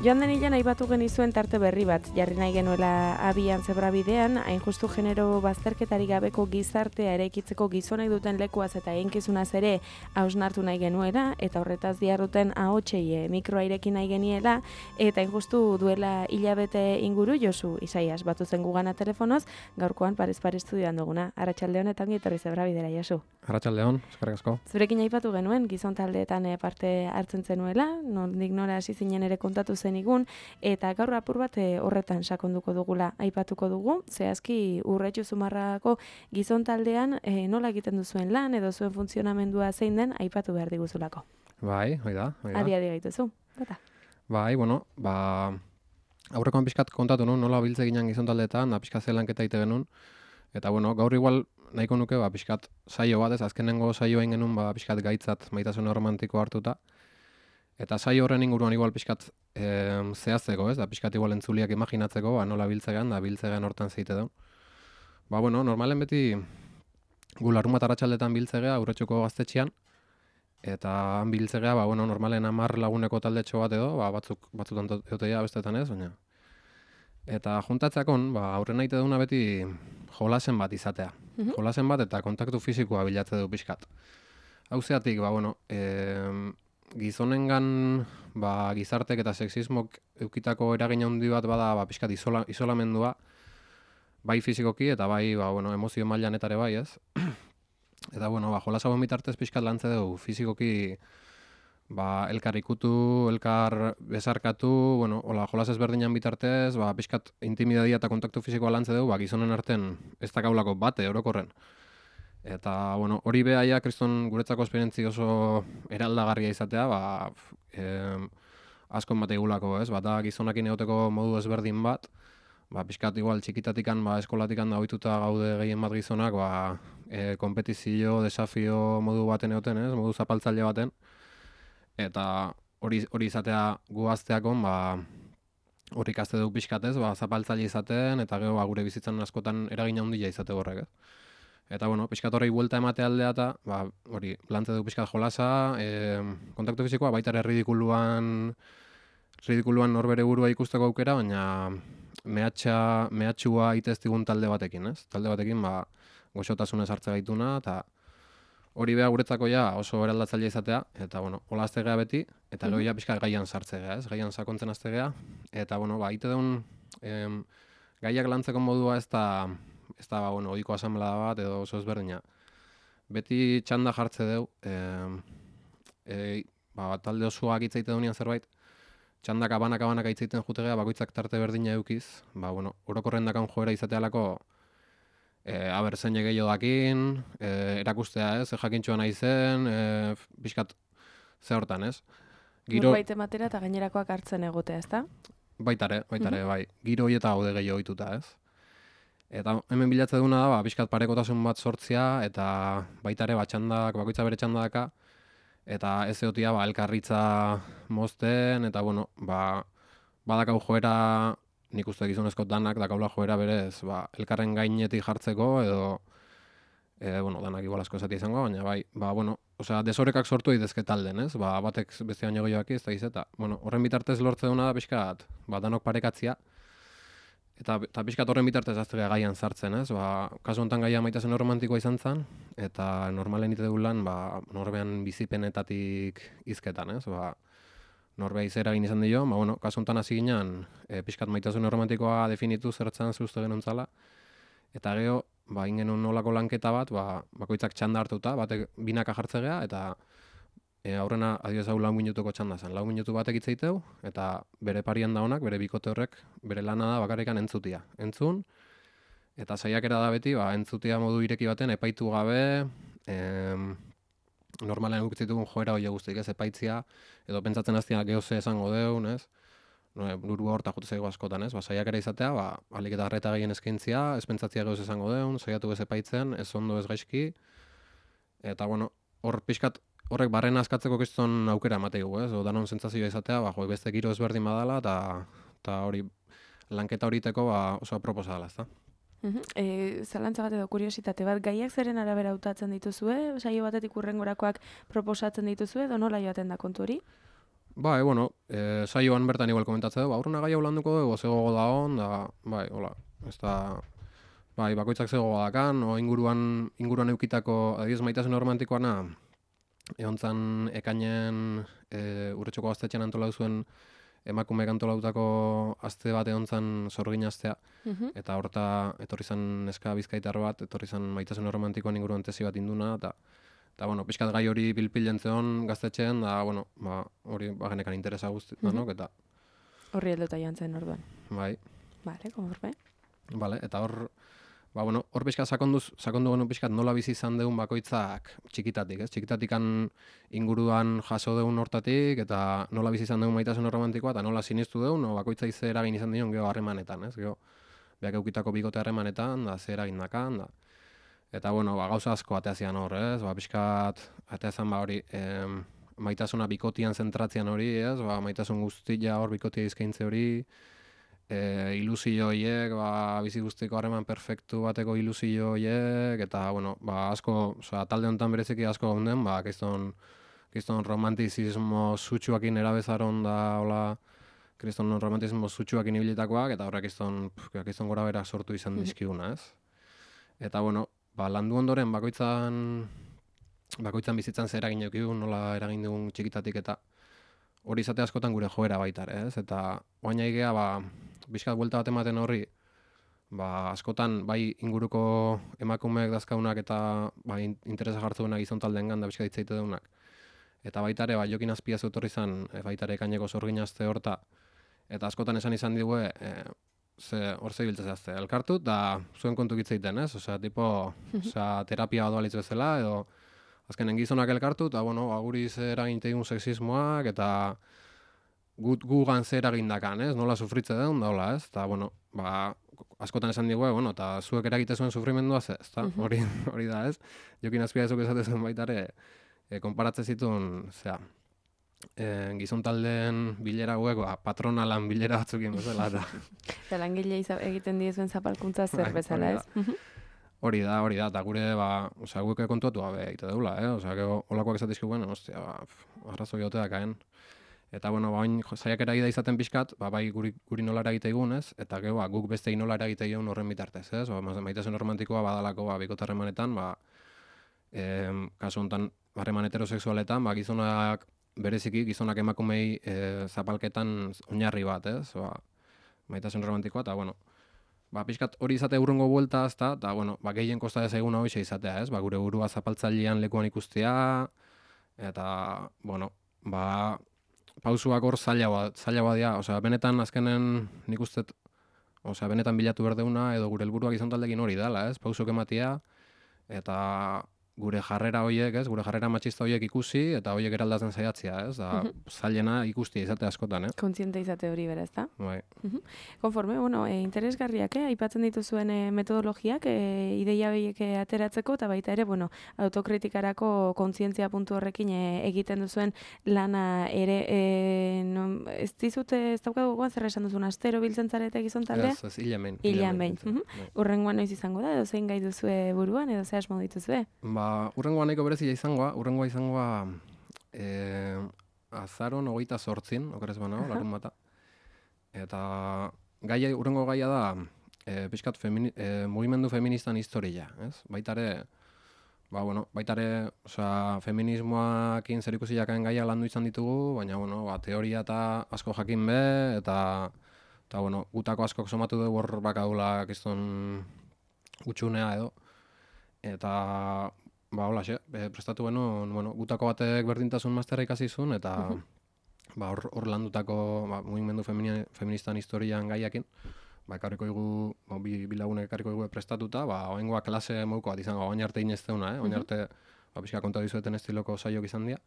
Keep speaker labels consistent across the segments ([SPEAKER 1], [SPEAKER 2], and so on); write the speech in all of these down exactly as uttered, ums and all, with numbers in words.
[SPEAKER 1] Joan den hilean aipatu genizuen tarte berri bat, jarri nahi genuela abian zebrabidean, hain justu genero bazterketari gabeko gizartea eraikitzeko gizonek duten lekuaz eta eginkizunaz ere hausnartu nahi genuela, eta horretaz diarruten ahotsei mikroa ireki nahi geniela, eta hain justu duela hilabete inguru Josu Isaias batu zen gugana telefonoz, gaurkoan Paris Paris estudioan duguna. Arratsaldeon eta ongi etorri zebrabidera, Josu.
[SPEAKER 2] Arratsaldeon, eskerrik asko.
[SPEAKER 1] Zurekin aipatu genuen, gizon taldeetan parte hartzen zenuela, nondik nora hasi zinen ere kontatu zenigun, eta gaur apur bat horretan sakonduko dugula aipatuko dugu, zehazki Urretxu Zumarragako gizon taldean e, nola egiten duzuen lan edo zuen funtzionamendua zein den aipatu behar diguzulako.
[SPEAKER 2] Bai, hoi da, hoi da.
[SPEAKER 1] Adi adi gaituzu, bata.
[SPEAKER 2] Bai, bueno, ba, aurrekoan pixkat kontatu nun, nola biltze ginen gizon taldeetan, da pixkat zelanketa ite genuen, eta bueno, gaur igual nahiko nuke, ba, pixkat saio bat, ez azkenengo saio egin genuen, ba, pixkat gaitzat maitasun romantiko hartuta, eta saio horren inguruan igual pixkat e, zehazteko, ez, da pixkat igual entzuliak imaginatzeko, ba, nola biltzegan, da biltzegan hortan zeite duen. Ba, bueno, normalen beti gu larunbat arratsaldetan biltzegea, Urretxuko gaztetxean, eta han biltzegea, ba, bueno, normalen hamar laguneko taldetxo bat edo, ba, batzuk, batzutan egotea bestetan ez, baina. Eta juntatzakon, ba, aurren nahi duna beti jolasen bat izatea. Mm-hmm. Jolasen bat eta kontaktu fisikoa bilatze du pixkat. Hau zeatik, ba, bueno, e, gizonengan ba, gizartek eta sexismok eukitako eragin handi bat bada ba, pixkat isola, isolamendua, bai fisikoki eta bai ba, bueno, emozio mailan etare bai, ez? Eta, bueno, ba, jolas hauen bitartez pixkat lantze dugu, fisikoki ba, elkar ikutu, elkar besarkatu, bueno, hola, jolas ezberdinan bitartez, ba, pixkat intimidadia eta kontaktu fisikoa lantze dugu, ba, gizonen arten ez dakaulako bate orokorren. Eta, bueno, hori behaia kriston guretzako esperientzi oso eraldagarria izatea, ba, eh, askon bat egulako, ez? Bata gizonakin egoteko modu ezberdin bat, ba, pixkat igual txikitatikan, ba, eskolatikan da ohituta gaude gehien bat gizonak, ba, e, kompetizio, desafio modu baten egoten, ez? Modu zapaltzaile baten. Eta hori hori izatea gu gazteakon, ba, hori ikaste dugu pixkatez, ba, zapaltzaile izaten, eta gero ba, gure bizitzan askotan eragina handia izate horrek, ez? Eta, bueno, pixkat horrei buelta emate aldea eta, ba, hori, lantze dugu pixkat jolasa, e, kontaktu fisikoa, baita ere ridikuluan, ridikuluan norbere burua ikusteko aukera, baina mehatxa, mehatxua iteztigun talde batekin, ez? Talde batekin, ba, goxotasunez hartze gaituna, eta hori beha guretzako ja oso eraldatzaile izatea, eta, bueno, hola aztegea beti, eta gero ja pixkat gaian sartzegea, ez? Gaian sakontzen aztegea, eta, bueno, ba, ite deun, em, gaiak lantzeko modua ez da, ez da, ba, bueno, ohiko asamblea bat edo oso ezberdina. Beti txanda jartze deu, e, e, ba, talde osoa agitzaite dunean zerbait, txandaka banaka-banaka itzaiten jutegea, bakoitzak tarte berdina eukiz, ba, bueno, orokorren dakan joera izatealako, e, aber zein gehiago dakin, e, erakustea ez, e, jakintxoa nahi zen, e, pixkat ze hortan ez.
[SPEAKER 1] Giro... Norbait ematera eta gainerakoak hartzen egotea, ezta?
[SPEAKER 2] Baitare, baitare, mm-hmm. bai. Giro hori eta gaude gehiago ohituta ez. Eta hemen bilatze duna da, ba, pixkat parekotasun bat sortzea, eta baitare ba, txandak, bakoitza bere txandaka, eta ez egotia ba, elkarritza mozten, eta bueno, ba, badakau joera, nik uste gizonezko danak dakaula joera berez, ba, elkarren gainetik jartzeko, edo, e, bueno, danak igual asko esatia izango, baina bai, ba, bueno, osea, desorekak sortu egitezke talden, ez? Ba, batek beste baino gehiagoak ez da izeta. Bueno, horren bitartez lortze duna da pixkat, ba, danok parekatzia, Eta, eta pixkat horren bitartez aztegea gaian sartzen, ez? Ba, kasu honetan gaia maitasun romantikoa izan zen, eta normalen ite dugu lan, ba, norbean bizipenetatik izketan, ez? Ba, norbea izera egin izan dio, ba, bueno, kasu honetan hasi ginen, e, pixkat maitasun romantikoa definitu zertzen zuzte genuen zala, eta gero, ba, ingenun nolako lanketa bat, ba, bakoitzak txanda hartuta, batek binaka jartzegea, eta E, aurrena, adioz hau lau minutuko txanda zen. Lau minutu batek itzeiteu, eta bere parian da honak, bere bikote horrek, bere lana da bakarrikan entzutia. Entzun, eta saiakera da beti, ba, entzutia modu ireki baten, epaitu gabe, em, normalen egukitzitugun joera hori guztik, ez, epaitzia, edo pentsatzen hastia geoze esango deun, ez? No, burua horta jute zaigu askotan, ez? Ba, saiakera izatea, ba, alik eta arreta gehien eskaintzia, ez pentsatzia geoze esango deun, saiatu ez epaitzen, ez ondo ez gaizki, eta, bueno, hor pixkat, horrek barrena askatzeko kriston aukera emateigu, ez? O danon sentsazioa izatea, ba, jo, beste giro ezberdin badala, eta eta hori lanketa horiteko ba, oso aproposa dela, ezta?
[SPEAKER 1] Mhm. Eh, zalantza bat edo kuriositate bat, gaiak zeren arabera hautatzen dituzue? Saio batetik hurrengorakoak proposatzen dituzue, edo nola joaten da kontu hori?
[SPEAKER 2] Bai, bueno, e, saioan bertan igual komentatzea du, ba, urruna gai hau landuko dugu, zegogo da hon, da, bai, hola, ez da, bai, bakoitzak zegogo dakan, o inguruan, inguruan eukitako, adiz, maitasun romantikoana, egon zan ekainen e, urretxoko gaztetxean antolau zuen emakumeek antolautako aste bat egon zan sorgin astea,
[SPEAKER 1] Mhm.
[SPEAKER 2] eta horta etorri zan neska bizkaitar bat, etorri zan maitasun romantikoan inguruan tesi bat induna, eta Eta, bueno, pixkat gai hori pilpilen zeon gaztetxean, da, bueno, ba, hori bagenekan interesa guzti,
[SPEAKER 1] Mhm.
[SPEAKER 2] danok, eta,
[SPEAKER 1] Horri helduta joan zen orduan.
[SPEAKER 2] bai,
[SPEAKER 1] Vale, konforme.
[SPEAKER 2] bale, eta hor, ba, bueno, hor pixkat sakonduz, sakondu genuen pixkat nola bizi izan deun bakoitzak txikitatik, ez? Txikitatikan inguruan jaso deun hortatik, eta nola bizi izan deun maitasun romantikoa, eta nola sinistu deun, no, bakoitza ize eragin izan dion geho harremanetan, ez? Geho, beak eukitako bigote harremanetan, da, ze eragin dakan, da. Eta, bueno, ba, gauza asko ateazian hor, ez? Ba, pixkat, ateazan, ba, hori, em, maitasuna bikotian zentratzean hori, ez? Ba, maitasun guztia hor bikotia izkaintze hori, e, ilusio horiek, ba, bizi guztiko harreman perfektu bateko ilusio horiek, eta, bueno, ba, asko, osea, talde honetan bereziki asko gaunden, ba, kriston, kriston romantizismo sutsuakin erabezaron da, hola, kriston romantizismo sutsuakin ibilitakoak, eta horrek kriston, pf, kriston gora berak sortu izan dizkiguna, ez? Eta, bueno, ba, landu ondoren bakoitzan bakoitzan bizitzan zer eragin edukigu, nola eragin dugun txikitatik, eta hori izate askotan gure joera baita ere, ez? Eta oain aigea, ba, bizkat buelta bat ematen horri, ba, askotan bai inguruko emakumeek dazkaunak eta ba, in- interesa jartzu duenak gizon taldengan da bizkat hitzaite deunak. Eta baita ere, ba, Jokin Azpiazu etorri izan, e, baita ere ekaineko sorgin aste horta, eta askotan esan izan digue, e, ze hor zebiltza zehazte, elkartu, eta zuen kontu egiten, ez? Osea, tipo, osea, terapia bat balitz bezala, edo azkenen gizonak elkartu, eta, bueno, ba, guri ze eragin teigun sexismoak, eta gut gugan zer egindakan, ez? Nola sufritze den, da hola, ez? Eta, bueno, ba, askotan esan digue, bueno, eta zuek eragite zuen sufrimendua ze, ezta? Hori, hori da, ez? Jokin Azpiazuk esate zuen baita ere, e, konparatze zituen, zera, e, gizon taldeen bilera hauek, ba, patronalan bilera batzukin bezala, eta
[SPEAKER 1] Eta langile iza- egiten diezuen zapalkuntza zer
[SPEAKER 2] Bai,
[SPEAKER 1] bezala,
[SPEAKER 2] hori
[SPEAKER 1] ez? Mhm.
[SPEAKER 2] hori da, hori da, eta gure, ba, osea, guke kontuatu gabe egite deula, eh? Osea, gero, olakoak esatizkiguen, ostia, ba, pf, arrazoi ote dakaen. Eta, bueno, ba, oin, saiakera da izaten pixkat, ba, bai guri, guri nola eragite egun, ez? Eta, gero, ba, guk beste nola eragite egun horren bitartez, ez? Ba, ma- maitasun romantikoa badalako, ba, bikote harremanetan, ba, em, kasu honetan, harreman heterosexualetan, ba, gizonak, bereziki, gizonak emakumei e, zapalketan oinarri bat, ez? Ba, maitasun romantikoa, eta, bueno, ba, pixkat hori izate urrungo buelta, ezta, eta, bueno, ba, gehien kosta ezaguna hoxe izatea, ez? Ba, gure burua zapaltzailean lekuan ikustea, eta, bueno, ba, pausuak hor zaila bat, zaila bat dira, osea, benetan azkenen nik ustet, osea, benetan bilatu berdeuna, edo gure helburuak izan taldekin hori dela, ez? Pausuk ematia, eta gure jarrera hoiek, ez? Gure jarrera matxista hoiek ikusi, eta hoiek eraldatzen saiatzea, ez? Da, zailena ikustia izate askotan, eh?
[SPEAKER 1] Kontziente izate hori bera, ezta?
[SPEAKER 2] Bai.
[SPEAKER 1] Mhm. Konforme, bueno, e, interesgarriak, eh? Aipatzen dituzuen e, metodologiak, e, ideia behiek e, ateratzeko, eta baita ere, bueno, autokritikarako kontzientzia puntu horrekin e, egiten duzuen lana ere, e, no, ez dizute, ez daukagu gogoan zer esan duzun, astero biltzen zarete gizon taldea?
[SPEAKER 2] Ez, ez, hilean behin.
[SPEAKER 1] Hilean behin. Mhm.
[SPEAKER 2] Bai.
[SPEAKER 1] Urrengoan noiz izango da, edo zein gai duzue buruan, edo ze asmo dituzue?
[SPEAKER 2] Ba, urrengoa nahiko berezia izangoa, urrengoa izangoa e, azaron hogeita sortzin, okerez banago, larun bata. Eta gaia, urrengo gaia da, e, pixkat femini, e, mugimendu feministan historia, ez? Baitare, ba, bueno, baitare, osea, feminismoakin zer ikusi jakaen gaia landu izan ditugu, baina, bueno, ba, teoria eta asko jakin be, eta, eta bueno, gutako askok somatu dugu hor bakadula kiston utxunea edo. Eta, ba, hola, xe, e, prestatu genuen, bueno, gutako batek berdintasun masterra ikasi zuen, eta ba, hor, hor landutako ba, mugimendu femini, feministan historian gaiakin, ba, ekarriko igu, ba, bi, bi lagunek ekarriko igu prestatuta, ba, oengoa klase moduko bat izango, oin arte inezteuna, eh? Oin arte, ba, pixka konta dizueten estiloko saiok izan dira.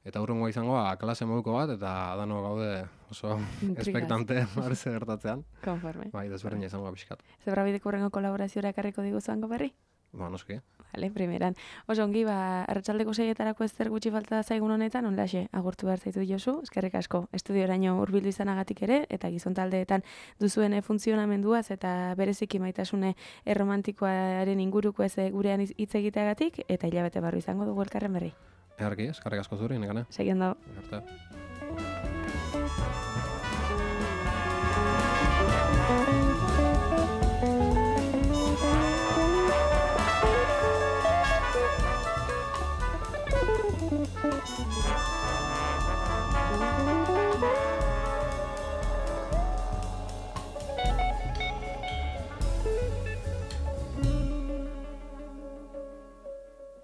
[SPEAKER 2] Eta hurrengoa izango, ba, klase moduko bat, eta dano gaude oso espektante barze gertatzean.
[SPEAKER 1] Konforme.
[SPEAKER 2] Bai, desberdina izango pixkat.
[SPEAKER 1] Zebrabideko horrengo kolaborazioa ekarriko diguzango berri?
[SPEAKER 2] Ba, noski.
[SPEAKER 1] Vale, primeran. Oso ongi, ba, arratsaldeko seietarako ezer gutxi falta zaigun honetan, onlaxe, agurtu behar zaitu Josu, eskerrik asko, estudioraino hurbildu izanagatik ere, eta gizon taldeetan duzuen funtzionamenduaz, eta bereziki maitasune erromantikoaren inguruko ez gurean hitz egiteagatik, eta hilabete barru izango dugu elkarren berri.
[SPEAKER 2] Egarki, eskerrik asko zuri, nekane.
[SPEAKER 1] Seguindo.
[SPEAKER 2] Arte.
[SPEAKER 1] Agur.